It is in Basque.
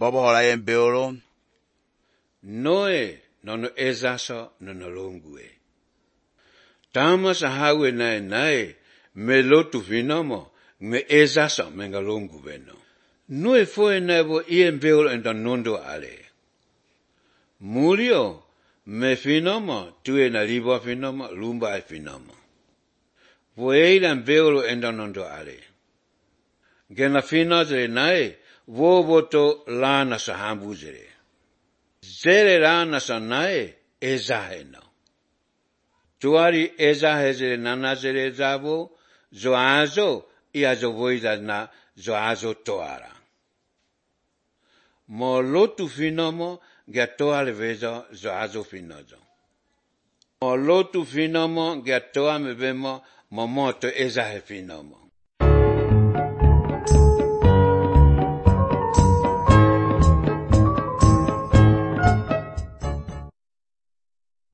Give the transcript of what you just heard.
Baba hola en beolo. Noe nono ezaso nono longue. Tama sa hawe nae me lotu vinomo me ezaso menga longu veno. Noe foi nebo ien beolo enda nondo ale. Murio me vinomo tue na libo vinomo lumba e vinomo. Voeidan beolo enda nondo ale. Gena vino zere nae vovoto lana sa hambu zere. Zere lana sa nae ezaheno. Tuari ezahe zere nana zere zavo zoazo iazo voida na zoazo toara. Mo lotu finomo gea toa le vezo zoazo finozo. Mo lotu finomo gea toa me vemo mo moto ezahe finomo.